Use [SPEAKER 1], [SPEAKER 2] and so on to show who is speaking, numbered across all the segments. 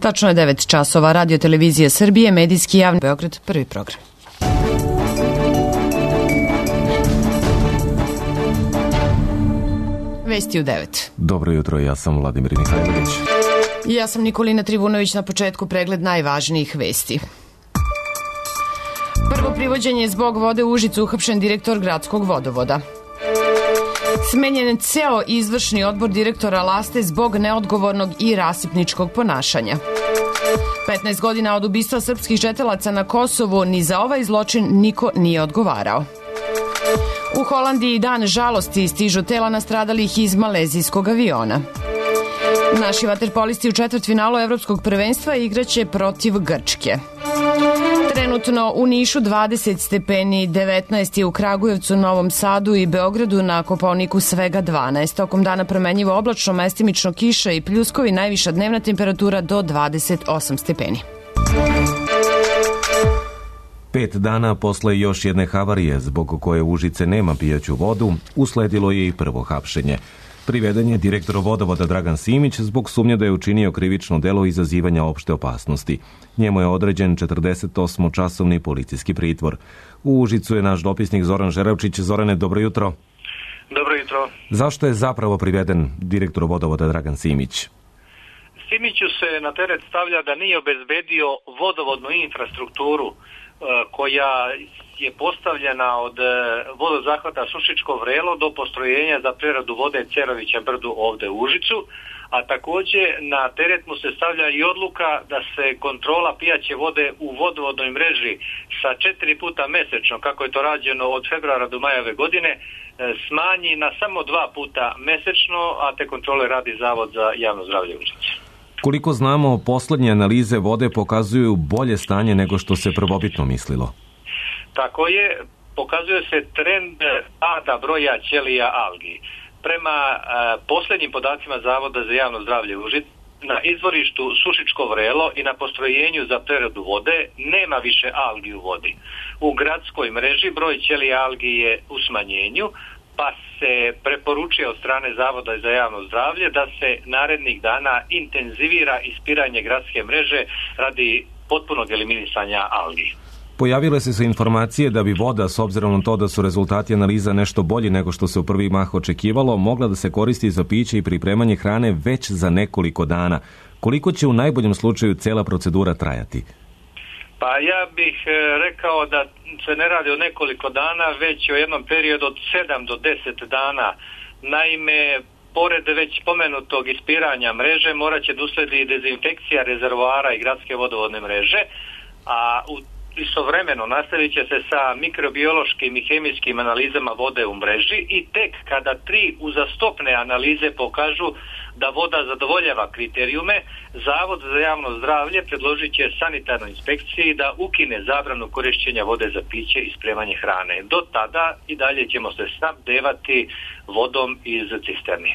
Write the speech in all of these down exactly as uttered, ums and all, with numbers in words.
[SPEAKER 1] Tačno je devet časova. Radio televizija Srbije, medijski javni Beograd, prvi program. Vesti u devet.
[SPEAKER 2] Dobro jutro, ja sam Vladimir Mihajlović.
[SPEAKER 1] I ja sam Nikolina Trivunović. Na početku pregled najvažnijih vesti. Prvo privođenje zbog vode u Užicu, uhapšen direktor gradskog vodovoda. Smenjen ceo izvršni odbor direktora Laste zbog neodgovornog i rasipničkog ponašanja. petnaest godina od ubistva srpskih četelaca na Kosovu, ni za ovaj zločin niko nije odgovarao. U Holandiji dan žalosti, stižu tela nastradalih iz malezijskog aviona. Naši vaterpolisti u četvrtfinalu evropskog prvenstva igraće protiv Grčke. Trenutno u Nišu dvadeset stepeni, devetnaest je u Kragujevcu, Novom Sadu i Beogradu, na Kopaoniku svega dvanaest. Tokom dana promenjivo oblačno, mestimično kiša i pljuskovi, najviša dnevna temperatura do dvadeset osam stepeni.
[SPEAKER 2] Pet dana posle još jedne havarije, zbog koje Užice nema pijaću vodu, usledilo je i prvo hapšenje. Priveden je direktor vodovoda Dragan Simić zbog sumnje da je učinio krivično delo izazivanja opšte opasnosti. Njemu je određen četrdesetosmočasovni policijski pritvor. U Užicu je naš dopisnik Zoran Žeravčić. Zorane, dobro jutro.
[SPEAKER 3] Dobro jutro.
[SPEAKER 2] Zašto je zapravo priveden direktor vodovoda Dragan Simić?
[SPEAKER 3] Simiću se na teret stavlja da nije obezbedio vodovodnu infrastrukturu koja je postavljena od vodozahvata Sušičko Vrelo do postrojenja za preradu vode Cerovića Brdu ovde u Užicu, a također na teret mu se stavlja i odluka da se kontrola pijaće vode u vodovodnoj mreži sa četiri puta mesečno, kako je to rađeno od februara do maja ove godine, smanji na samo dva puta mesečno, a te kontrole radi Zavod za javno zdravlje Užice.
[SPEAKER 2] Koliko znamo, poslednje analize vode pokazuju bolje stanje nego što se prvobitno mislilo.
[SPEAKER 3] Tako je, pokazuje se trend pada broja ćelija algi. Prema e, posljednjim podacima Zavoda za javno zdravlje Užice, na izvorištu Sušičko Vrelo i na postrojenju za preradu vode nema više algi u vodi. U gradskoj mreži broj ćelija algi je u smanjenju, pa se preporučuje od strane Zavoda za javno zdravlje da se narednih dana intenzivira ispiranje gradske mreže radi potpunog eliminisanja algi.
[SPEAKER 2] Pojavile su se informacije da bi voda, s obzirom na to da su rezultati analiza nešto bolji nego što se u prvi mah očekivalo, mogla da se koristi za piće i pripremanje hrane već za nekoliko dana. Koliko će u najboljem slučaju cela procedura trajati?
[SPEAKER 3] Pa ja bih rekao da se ne radi o nekoliko dana, već o jednom periodu od sedam do deset dana. Naime, pored već spomenutog ispiranja mreže, morat će da usledi dezinfekcija rezervoara i gradske vodovodne mreže, a u istovremeno nastavit će se sa mikrobiološkim i hemijskim analizama vode u mreži i tek kada tri uzastopne analize pokažu da voda zadovoljava kriterijume, Zavod za javno zdravlje predložit će sanitarnoj inspekciji da ukine zabranu korišćenja vode za piće i spremanje hrane. Do tada i dalje ćemo se snabdevati vodom iz cisterni.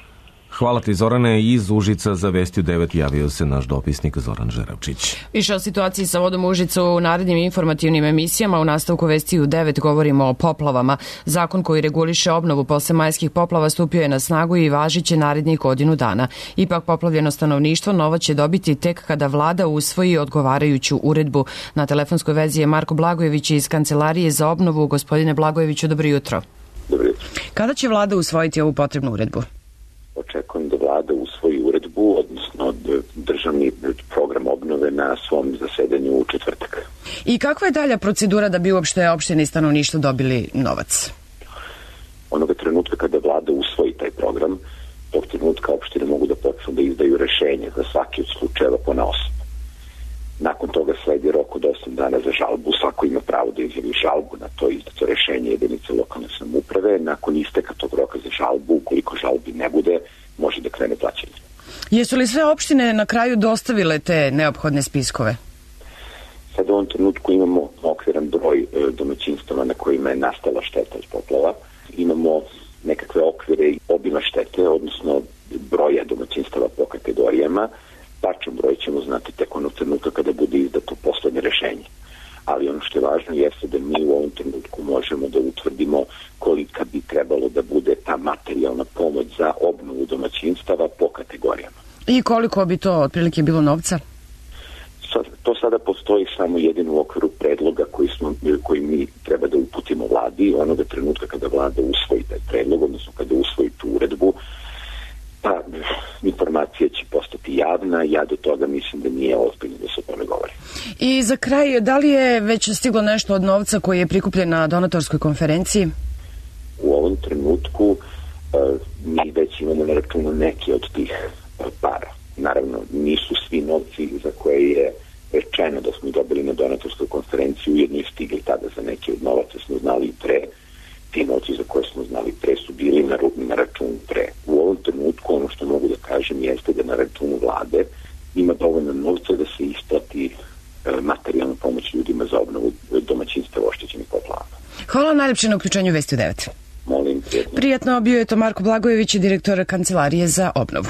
[SPEAKER 2] Hvala ti, Zorane. Iz Užica za Vesti u devet javio se naš dopisnik Zoran Žeravčić.
[SPEAKER 1] Više o situaciji sa vodom u Užicu u narednim informativnim emisijama. U nastavku Vesti u devet govorimo o poplavama. Zakon koji reguliše obnovu posle majskih poplava stupio je na snagu i važiće narednih godinu dana. Ipak poplavljeno stanovništvo novo će dobiti tek kada vlada usvoji odgovarajuću uredbu. Na telefonskoj vezi je Marko Blagojević iz Kancelarije za obnovu. Gospodine Blagojeviću, dobro jutro.
[SPEAKER 4] Dobro jutro.
[SPEAKER 1] Kada će vlada usvojiti ovu potrebnu uredbu?
[SPEAKER 4] Očekujem da vlada usvoji uredbu, odnosno državni program obnove na svom zasedanju u četvrtak.
[SPEAKER 1] I kakva je dalja procedura da bi uopšte opštine i stanovništvo dobili novac?
[SPEAKER 4] Onoga trenutka kada vlada usvoji taj program, tog trenutka opštine mogu da počnu da izdaju rešenje za svaki od slučajeva ponaosob. Nakon toga sledi rok od osam dana za žalbu. Svako ima pravo da izjavi žalbu na to izdato rešenje jedinice lokalne samouprave. Nakon isteka tog roka za žalbu, ukoliko žalbi ne bude, može da krene plaćanje.
[SPEAKER 1] Jesu li sve opštine na kraju dostavile te neophodne spiskove?
[SPEAKER 4] Sad u ovom trenutku imamo okviran broj domaćinstava na kojima je nastala šteta od poplava. Imamo nekakve okvire i obima štete, odnosno broja domaćinstava po kategorijama. Tačan broj ćemo znati tek onog trenutka kada bude izdato poslednje rešenje. Ali ono što je važno jeste da mi u ovom trenutku možemo da utvrdimo kolika bi trebalo da bude ta materijalna pomoć za obnovu domaćinstava po kategorijama.
[SPEAKER 1] I koliko bi to otprilike bilo novca?
[SPEAKER 4] postoji samo jedino u okviru predloga koji, smo, koji mi treba da uputimo vladi. Onoga trenutka kada vlada usvoji taj predlog, odnosno kada usvoji tu uredbu, pa informacija će postati javna. Ja do toga mislim da nije ozbiljno da se o tome govori.
[SPEAKER 1] I za kraj, da li je već stiglo nešto od novca koji je prikupljen na donatorskoj konferenciji?
[SPEAKER 4] U ovom trenutku mi već imamo na računu neke od tih para. Naravno, nisu svi novci za koje je rečeno da smo dobili na donatorskoj konferenciji ujedno i stigli tada. Za neke od novaca smo znali i pre. Ti novci za koje smo znali pre su bili na, na računu pre. U ovom trenutku ono što mogu da kažem jeste da na računu vlade ima dovoljno novca da se isplati e, materijalna pomoć ljudima za obnovu domaćinstva oštećenih poplavama.
[SPEAKER 1] Hvala najlepše na uključenju Vesti u devet.
[SPEAKER 4] Molim, prijetno.
[SPEAKER 1] Prijetno, bio je to Marko Blagojević, direktor Kancelarije za obnovu.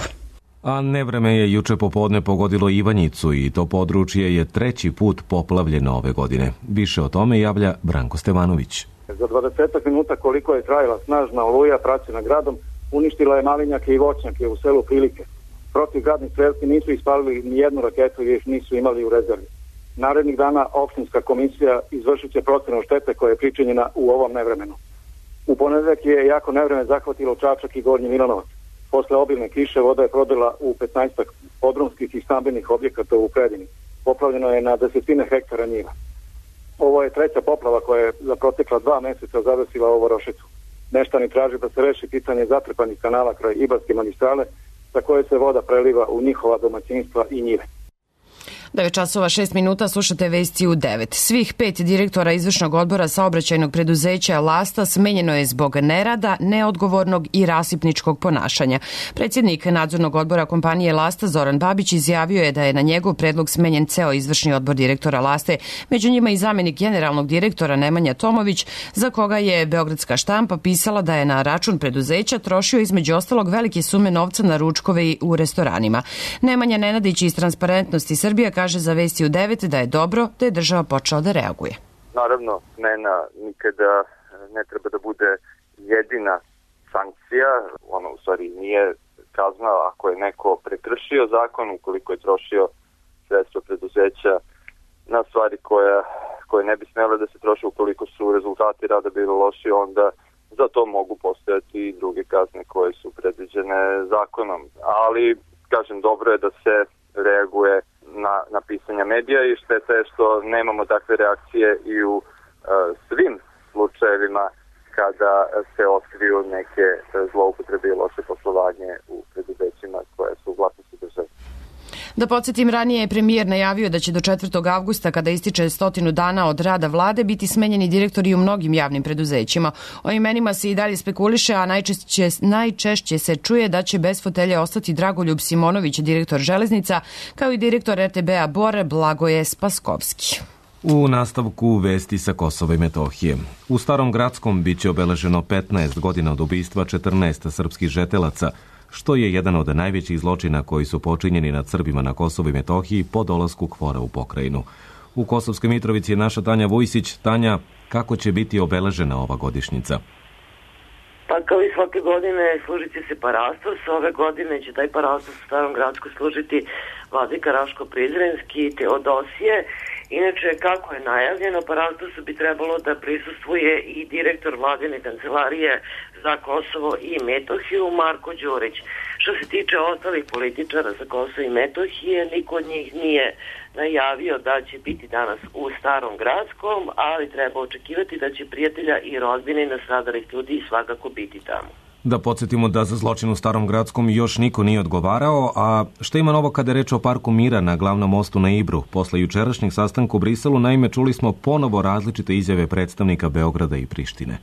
[SPEAKER 2] A nevreme je juče popodne pogodilo Ivanjicu i to područje je treći put poplavljeno ove godine. Više o tome javlja Branko Stevanović.
[SPEAKER 5] Za dvadeset minuta koliko je trajala snažna oluja praćena gradom, uništila je malinjake i voćnjake u selu Prilike. Protivgradni strelci nisu ispalili ni jednu raketu jer ih nisu imali u rezervi. Narednih dana opštinska komisija izvršit će procenu štete koja je pričinjena u ovom nevremenu. U ponedeljak je jako nevreme zahvatilo Čačak i Gornji Milanovac. Posle obilne kiše voda je prodrla u petnaestak podrumskih i stambenih objekata u Predini. Poplavljeno je na desetine hektara njiva. Ovo je treća poplava koja je za protekla dva meseca zadesila ovu Rošicu. Meštani traže da se reši pitanje zatrpanih kanala kraj Ibarske magistrale sa koje se voda preliva u njihova domaćinstva i njive.
[SPEAKER 1] devet časova šest minuta, slušate Vesti u devet. Svih pet direktora izvršnog odbora saobraćajnog preduzeća Lasta smenjeno je zbog nerada, neodgovornog i rasipničkog ponašanja. Predsjednik nadzornog odbora kompanije Lasta Zoran Babić izjavio je da je na njegov predlog smenjen ceo izvršni odbor direktora Laste, među njima i zamjenik generalnog direktora Nemanja Tomović, za koga je Beogradska štampa pisala da je na račun preduzeća trošio između ostalog velike sume novca na ručkove i u restoranima. Nemanja Nenadić iz Transparentnosti Srbije kaže za Vesti u devet da je dobro da je država počela da reaguje.
[SPEAKER 6] Naravno, smena nikada ne treba da bude jedina sankcija. Ono u stvari nije kazna ako je neko prekršio zakon, ukoliko je trošio sredstva preduzeća na stvari koje, koje ne bi smjele da se troše, ukoliko su rezultati rada bili loši, onda za to mogu postojati i druge kazne koje su predviđene zakonom. Ali, kažem, dobro je da se reaguje na, na pisanja medija i šteta je što nemamo takve reakcije i u uh, svim slučajevima kada se otkriju neke zloupotrebe i loše poslovanje u preduzećima koje su u vlasništvu države.
[SPEAKER 1] Da podsjetim, ranije je premijer najavio da će do četvrtog avgusta, kada ističe stotinu dana od rada vlade, biti smenjeni direktori u mnogim javnim preduzećima. O imenima se i dalje spekuliše, a najčešće, najčešće se čuje da će bez fotelje ostati Dragoljub Simonović, direktor železnica, kao i direktor R T B-a Bor Blagoje Spaskovski.
[SPEAKER 2] U nastavku vesti sa Kosova i Metohije. U Starom Gradskom biće obeleženo petnaest godina od ubistva četrnaest srpskih žetelaca, što je jedan od najvećih zločina koji su počinjeni nad Srbima na Kosovu i Metohiji po dolasku KFOR-a u pokrajinu. U Kosovskoj Mitrovici je naša Tanja Vujsić. Tanja, kako će biti obeležena ova godišnjica?
[SPEAKER 7] Pa kao i svake godine služit će se parastos. Ove godine će taj parastos u Starom Gradsku služiti vladika Raško Prizrenski Teodosije. Inače, kako je najavljeno, parastosu bi trebalo da prisustvuje i direktor vladine kancelarije za Kosovo i Metohiju, Marko Đurić. Što se tiče ostalih političara za Kosovo i Metohije, niko od njih nije najavio da će biti danas u Starom Gradskom, ali treba očekivati da će prijatelja i rodbine i nastradalih ljudi svakako biti tamo.
[SPEAKER 2] Da podsjetimo da za zločin u Starom Gradskom još niko nije odgovarao, a šta ima novo kada je reč o Parku mira na glavnom mostu na Ibru? Posle jučerašnjeg sastanka u Briselu, naime, čuli smo ponovo različite izjave predstavnika Beograda i Prištine.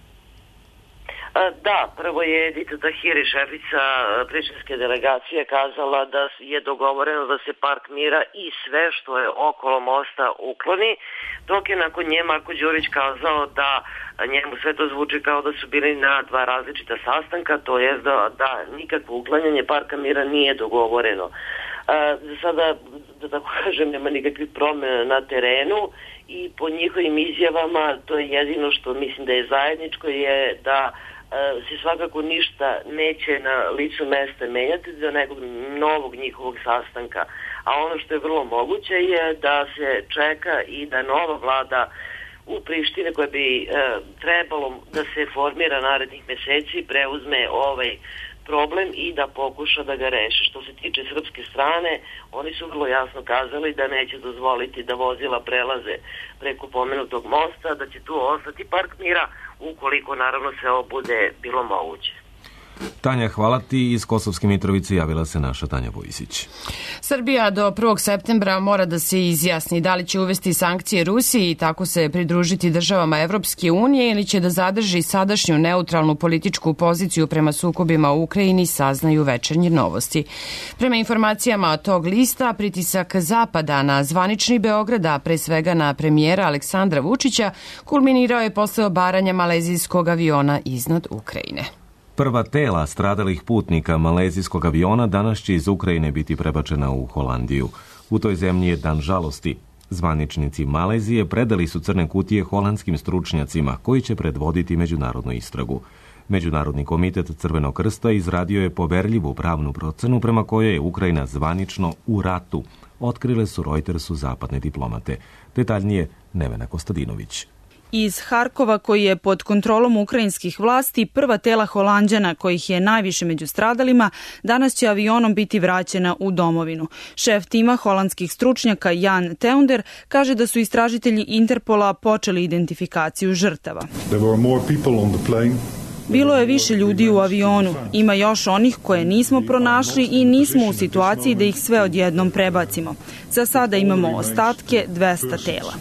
[SPEAKER 7] Da, prvo je Edita Tahiri, šefica prištinske delegacije, kazala da je dogovoreno da se Park mira i sve što je okolo mosta ukloni, dok je nakon nje Marko Đurić kazao da njemu sve to zvuči kao da su bili na dva različita sastanka, to je da, da nikakvo uklanjanje Parka mira nije dogovoreno. Za sada, da tako kažem, nema nikakvih promjena na terenu i po njihovim izjavama to je jedino što mislim da je zajedničko je da se svakako ništa neće na licu mesta menjati do nekog novog njihovog sastanka. A ono što je vrlo moguće je da se čeka i da nova vlada u Prištini koja bi e, trebalo da se formira narednih meseci preuzme ovaj problem i da pokuša da ga reši. Što se tiče srpske strane, oni su vrlo jasno kazali da neće dozvoliti da vozila prelaze preko pomenutog mosta, da će tu ostati park mira ukoliko naravno se ovo bude bilo moguće.
[SPEAKER 2] Tanja, hvala ti. Iz Kosovske Mitrovice javila se naša Tanja Vojsić.
[SPEAKER 1] Srbija do prvog septembra mora da se izjasni da li će uvesti sankcije Rusiji i tako se pridružiti državama Evropske unije ili će da zadrži sadašnju neutralnu političku poziciju prema sukobima u Ukrajini, saznaju Večernje novosti. Prema informacijama tog lista, pritisak Zapada na zvanični Beograd, a pre svega na premijera Aleksandra Vučića, kulminirao je posle obaranja malezijskog aviona iznad Ukrajine.
[SPEAKER 2] Prva tela stradalih putnika malezijskog aviona danas će iz Ukrajine biti prebačena u Holandiju. U toj zemlji je dan žalosti. Zvaničnici Malezije predali su crne kutije holandskim stručnjacima koji će predvoditi međunarodnu istragu. Međunarodni komitet Crvenog krsta izradio je poverljivu pravnu procenu prema kojoj je Ukrajina zvanično u ratu, otkrile su Reutersu zapadne diplomate. Detaljnije Nevena Kostadinović.
[SPEAKER 8] Iz Harkova, koji je pod kontrolom ukrajinskih vlasti, prva tela Holanđana, kojih je najviše među stradalima, danas će avionom biti vraćena u domovinu. Šef tima holandskih stručnjaka Jan Teunder kaže da su istražitelji Interpola počeli identifikaciju žrtava. Bilo je više ljudi u avionu. Ima još onih koje nismo pronašli i nismo u situaciji da ih sve odjednom prebacimo. Za sada imamo ostatke dvesta tela.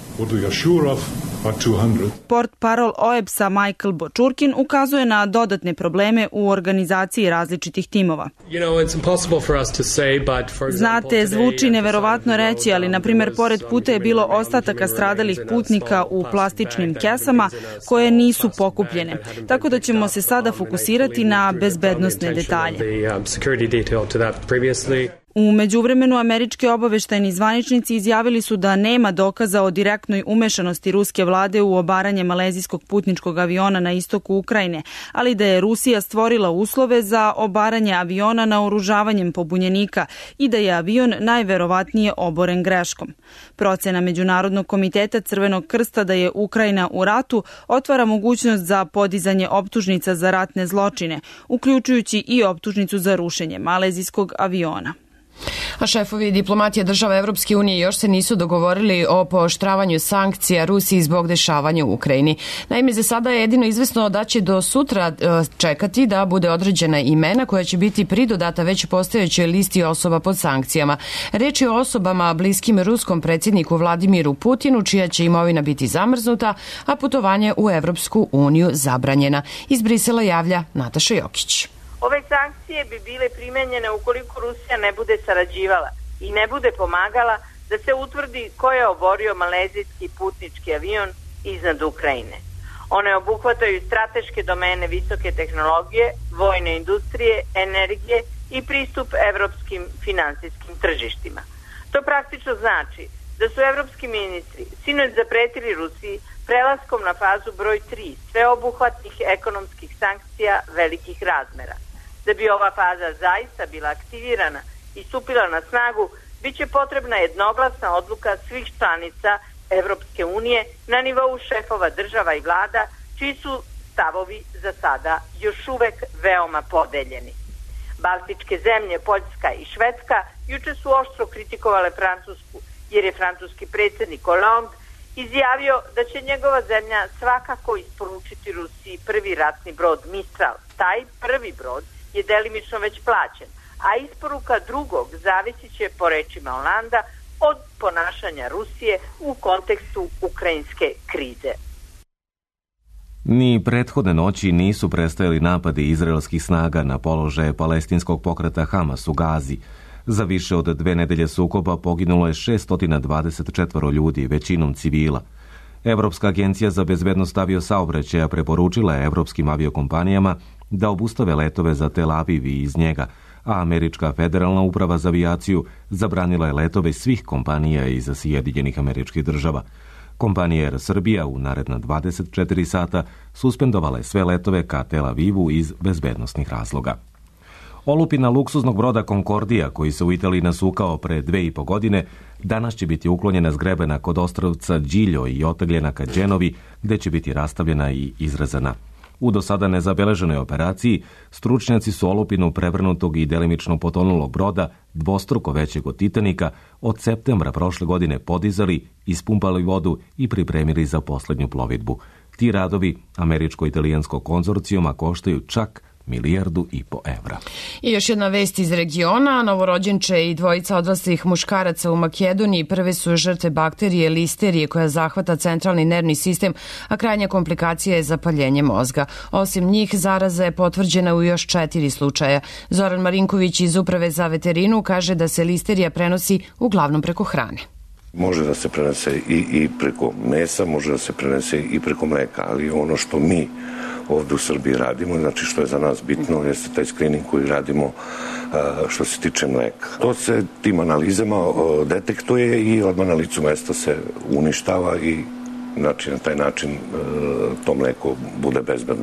[SPEAKER 8] Port parol O E B S-a Michael Bočurkin ukazuje na dodatne probleme u organizaciji različitih timova. Znate, zvuči neverovatno reći, ali na primjer pored puta je bilo ostataka stradalih putnika u plastičnim kesama koje nisu pokupljene. Tako da ćemo se sada fokusirati na bezbednosne detalje. U međuvremenu američki obaveštajni zvaničnici izjavili su da nema dokaza o direktnoj umešanosti ruske vlade u obaranje malezijskog putničkog aviona na istoku Ukrajine, ali da je Rusija stvorila uslove za obaranje aviona naoružavanjem pobunjenika i da je avion najverovatnije oboren greškom. Procena Međunarodnog komiteta Crvenog krsta da je Ukrajina u ratu otvara mogućnost za podizanje optužnica za ratne zločine, uključujući i optužnicu za rušenje malezijskog aviona.
[SPEAKER 1] A šefovi diplomatije država Evropske unije još se nisu dogovorili o pooštravanju sankcija Rusiji zbog dešavanja u Ukrajini. Naime, za sada je jedino izvesno da će do sutra čekati da bude određena imena koja će biti pridodata već postojećoj listi osoba pod sankcijama. Reč je o osobama bliskim ruskom predsjedniku Vladimiru Putinu, čija će imovina biti zamrznuta, a putovanje u Evropsku uniju zabranjena. Iz Brisela javlja Nataša Jokić.
[SPEAKER 9] Ove sankcije bi bile primenjene ukoliko Rusija ne bude sarađivala i ne bude pomagala da se utvrdi ko je oborio malezijski putnički avion iznad Ukrajine. One obuhvataju strateške domene visoke tehnologije, vojne industrije, energije i pristup evropskim finansijskim tržištima. To praktično znači da su evropski ministri sinoć zapretili Rusiji prelaskom na fazu broj tri sveobuhvatnih ekonomskih sankcija velikih razmera. Da bi ova faza zaista bila aktivirana i stupila na snagu, bit će potrebna jednoglasna odluka svih članica Evropske unije na nivou šefova država i vlada, čiji su stavovi za sada još uvek veoma podeljeni. Baltičke zemlje, Poljska i Švedska, juče su oštro kritikovale Francusku, jer je francuski predsjednik Hollande izjavio da će njegova zemlja svakako isporučiti Rusiji prvi ratni brod Mistral. Taj prvi brod je delimično već plaćen, a isporuka drugog zavisit će, po rečima Hollanda, od ponašanja Rusije u kontekstu ukrajinske krize.
[SPEAKER 2] Ni prethodne noći nisu prestajali napadi izraelskih snaga na položaje palestinskog pokreta Hamas u Gazi. Za više od dve nedelje sukoba poginulo je šessto dvadeset četiri ljudi, većinom civila. Evropska agencija za bezbednost aviosaobraćaja preporučila je evropskim aviokompanijama da obustave letove za Tel Aviv i iz njega, a Američka federalna uprava za avijaciju zabranila je letove svih kompanija iz Sjedinjenih Američkih Država. Kompanija Air Srbija u naredna dvadeset četiri sata suspendovala je sve letove ka Tel Avivu iz bezbednosnih razloga. Olupina luksuznog broda Concordija, koji se u Italiji nasukao pre dve i po godine, danas će biti uklonjena s grebena kod ostrvca Điljo i otagljena ka Đenovi, gde će biti rastavljena i izrezana. U do sada nezabeleženoj operaciji stručnjaci su olupinu prevrnutog i delimično potonulog broda, dvostruko većeg od Titanika, od septembra prošle godine podizali, ispumpali vodu i pripremili za poslednju plovidbu. Ti radovi američko-italijanskog konzorcijuma koštaju čak milijardu i po evra.
[SPEAKER 1] I još jedna vest iz regiona. Novorođenče i dvojica odraslih muškaraca u Makedoniji prve su žrtve bakterije listerije koja zahvata centralni nervni sistem, a krajnja komplikacija je zapaljenje mozga. Osim njih, zaraza je potvrđena u još četiri slučaja. Zoran Marinković iz Uprave za veterinu kaže da se listerija prenosi uglavnom preko hrane.
[SPEAKER 10] Može da se prenese i, i preko mesa, može da se prenese i preko mleka, ali ono što mi ovdje u Srbiji radimo, znači što je za nas bitno, jeste taj screening koji radimo što se tiče mleka. To se tim analizama detektuje i odmah na licu mesta se uništava i znači na taj način to mleko bude bezbedno.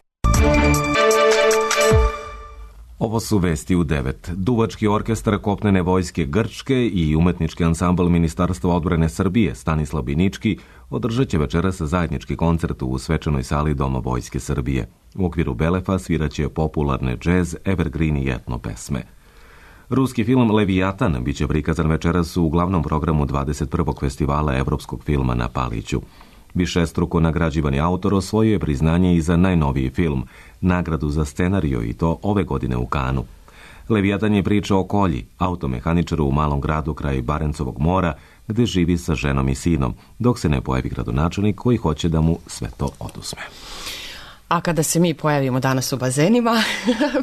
[SPEAKER 2] Ovo su vesti u devet. Duvački orkestar kopnene vojske Grčke i umetnički ansambl Ministarstva odbrane Srbije Stanislav Binički održat će večeras zajednički koncert u svečanoj sali Doma vojske Srbije. U okviru Belefa sviraće popularne džez, evergreen i etno pesme. Ruski film Levijatan biće prikazan večeras u glavnom programu dvadeset prvog festivala evropskog filma na Paliću. Višestruko nagrađivani autor osvojio je priznanje i za najnoviji film, nagradu za scenarijo, i to ove godine u Kanu. Levijatan je priča o Kolji, automehaničaru u malom gradu kraj Barencovog mora, gde živi sa ženom i sinom, dok se ne pojavi gradonačelnik koji hoće da mu sve to oduzme.
[SPEAKER 1] A kada se mi pojavimo danas u bazenima,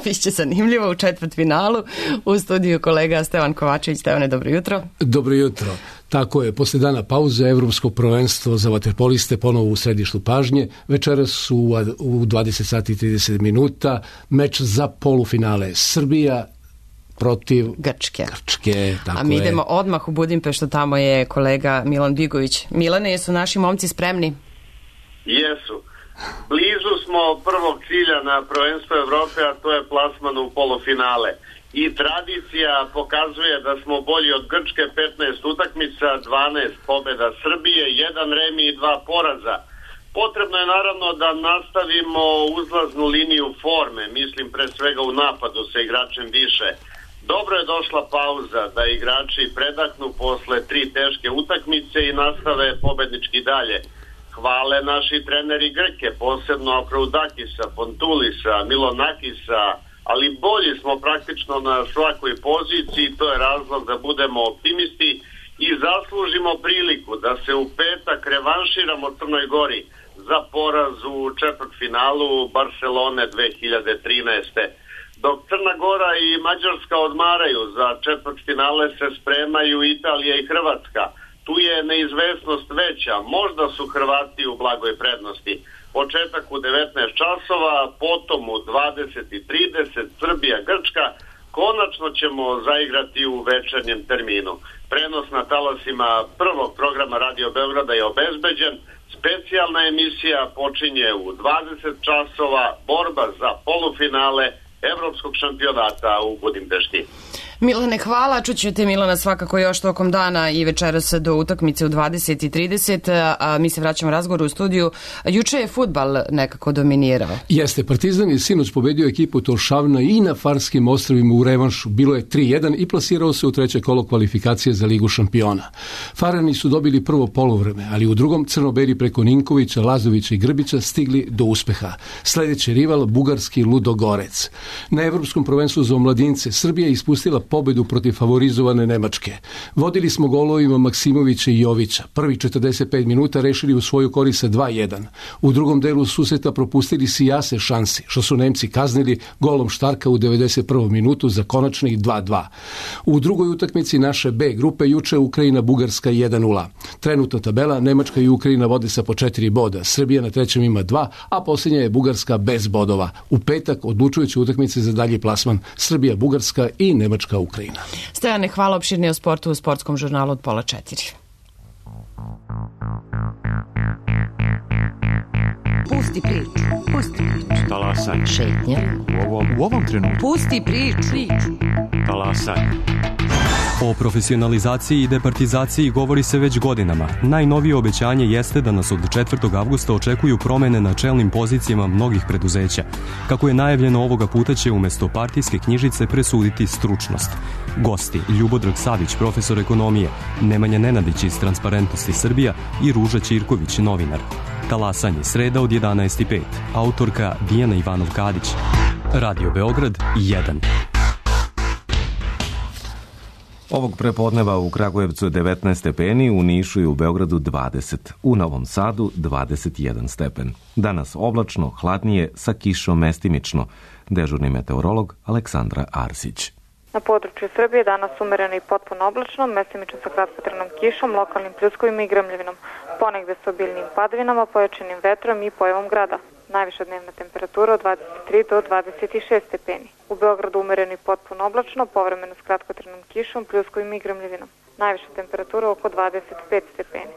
[SPEAKER 1] biće zanimljivo u četvrtfinalu. U studiju kolega Stevan Kovačević. Stevane, dobro jutro.
[SPEAKER 11] Dobro jutro. Tako je, posle dana pauze Evropsko prvenstvo za vaterpoliste ponovo u središtu pažnje. Večeras su u dvadeset sati i trideset minuta meč za polufinale Srbija protiv
[SPEAKER 1] Grčke.
[SPEAKER 11] Grčke, tako
[SPEAKER 1] A mi
[SPEAKER 11] je.
[SPEAKER 1] idemo odmah u Budimpeštu, tamo je kolega Milan Bigović. Milane, jesu naši momci spremni?
[SPEAKER 12] Jesu. Blizu smo prvog cilja na prvenstvu Evrope, a to je plasman u polufinale. I tradicija pokazuje da smo bolji od Grčke, petnaest utakmica, dvanaest pobjeda Srbije, jedan remi i dva poraza. Potrebno je naravno da nastavimo uzlaznu liniju forme, mislim pre svega u napadu sa igračem više. Dobro je došla pauza da igrači predahnu posle tri teške utakmice i nastave pobednički dalje. Hvale naši treneri Grke, posebno Akroudakisa, Fontulisa, Milonakisa, ali bolji smo praktično na svakoj poziciji, to je razlog da budemo optimisti i zaslužimo priliku da se u petak revanširamo Crnoj Gori za poraz u četvrtfinalu Barcelone dve hiljade trinaeste. Dok Crna Gora i Mađarska odmaraju, za četvrtfinale se spremaju Italija i Hrvatska. Tu je neizvesnost veća, možda su Hrvati u blagoj prednosti. Početak u devetnaest časova, potom u dvadeset i trideset Srbija Grčka, konačno ćemo zaigrati u večernjem terminu. Prenos na talasima prvog programa Radio Beograda je obezbeđen, specijalna emisija počinje u dvadeset časova, borba za polufinale Evropskog šampionata u Budimpešti.
[SPEAKER 1] Milane, hvala. Čućete Milana svakako još tokom dana i večeras do utakmice u dvadeset i trideset. A mi se vraćamo razgovoru u studiju. Juče je fudbal nekako dominirao.
[SPEAKER 11] Jeste, Partizan je sinoć pobedio ekipu Tolšavna i na Farskim ostrvima u revanšu. Bilo je tri jedan i plasirao se u treće kolo kvalifikacije za Ligu šampiona. Farani su dobili prvo poluvreme, ali u drugom crnobeli preko Ninkovića, Lazovića i Grbića stigli do uspeha. Sljedeći rival, bugarski Ludogorec. Na Evropskom prvenstvu za omladince Srbija je ispustila pobedu protiv favorizovane Nemačke. Vodili smo golovima Maksimovića i Jovića. Prvi četrdeset pet minuta rešili u svoju korist sa dva jedan. U drugom delu susreta propustili sijase šansi, što su Nemci kaznili golom Štarka u devedeset prvom minutu za konačnih dva dva. U drugoj utakmici naše B grupe juče Ukrajina Bugarska jedan nula. Trenutno tabela Nemačka i Ukrajina vode sa po četiri boda. Srbija na trećem ima dva, a posljednja je Bugarska bez bodova. U petak odlučujuće utakmice za dalji plasman Srbija Bugarska i Nemačka Ukrajina.
[SPEAKER 1] Stojane, hvala. Opširnije o sportu u sportskom žurnalu od pola četiri.
[SPEAKER 13] Pusti priču. Pusti priču.
[SPEAKER 14] Talasaj.
[SPEAKER 13] Šetnja.
[SPEAKER 14] U ovom, u ovom trenutku.
[SPEAKER 13] Pusti priču.
[SPEAKER 14] Talasaj.
[SPEAKER 15] O profesionalizaciji i departizaciji govori se već godinama. Najnovije obećanje jeste da nas od četvrtog avgusta očekuju promene na čelnim pozicijama mnogih preduzeća. Kako je najavljeno, ovoga puta će umjesto partijske knjižice presuditi stručnost. Gosti: Ljubodrag Savić, profesor ekonomije, Nemanja Nenadić iz Transparentnosti Srbija i Ruža Ćirković, novinar. Talasanje, sreda od jedanaest i pet. Autorka Dijana Ivanov-Kadić. Radio Beograd jedan.
[SPEAKER 2] Ovog prepodneva u Kragujevcu je devetnaest stepeni, u Nišu i u Beogradu dvadeset, u Novom Sadu dvadeset jedan stepen. Danas oblačno, hladnije, sa kišom mestimično. Dežurni meteorolog Aleksandra Arsić.
[SPEAKER 16] Na području Srbije danas umereno i potpuno oblačno, mestimično sa kratkotrajnom kišom, lokalnim pljuskovima i grmljavinom, ponegde sa obiljnim padavinama, pojačanim vetrom i pojavom grada. Najviša dnevna temperatura od dvadeset tri do dvadeset šest stepeni. U Beogradu umereno i potpuno oblačno, povremeno s kratkotrajnom kišom, pljuskovima i grmljavinom. Najviša temperatura oko dvadeset pet stepeni.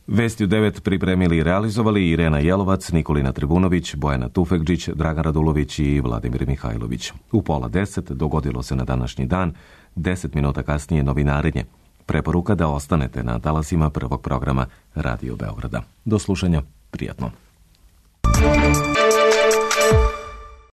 [SPEAKER 2] Vesti u devet pripremili i realizovali Irena Jelovac, Nikolina Tribunović, Bojana Tufekđić, Dragan Radulović i Vladimir Mihajlović. U pola deset dogodilo se na današnji dan, deset minuta kasnije novinarenje. Preporuka da ostanete na talasima prvog programa Radio Beograda. Do slušanja, prijatno.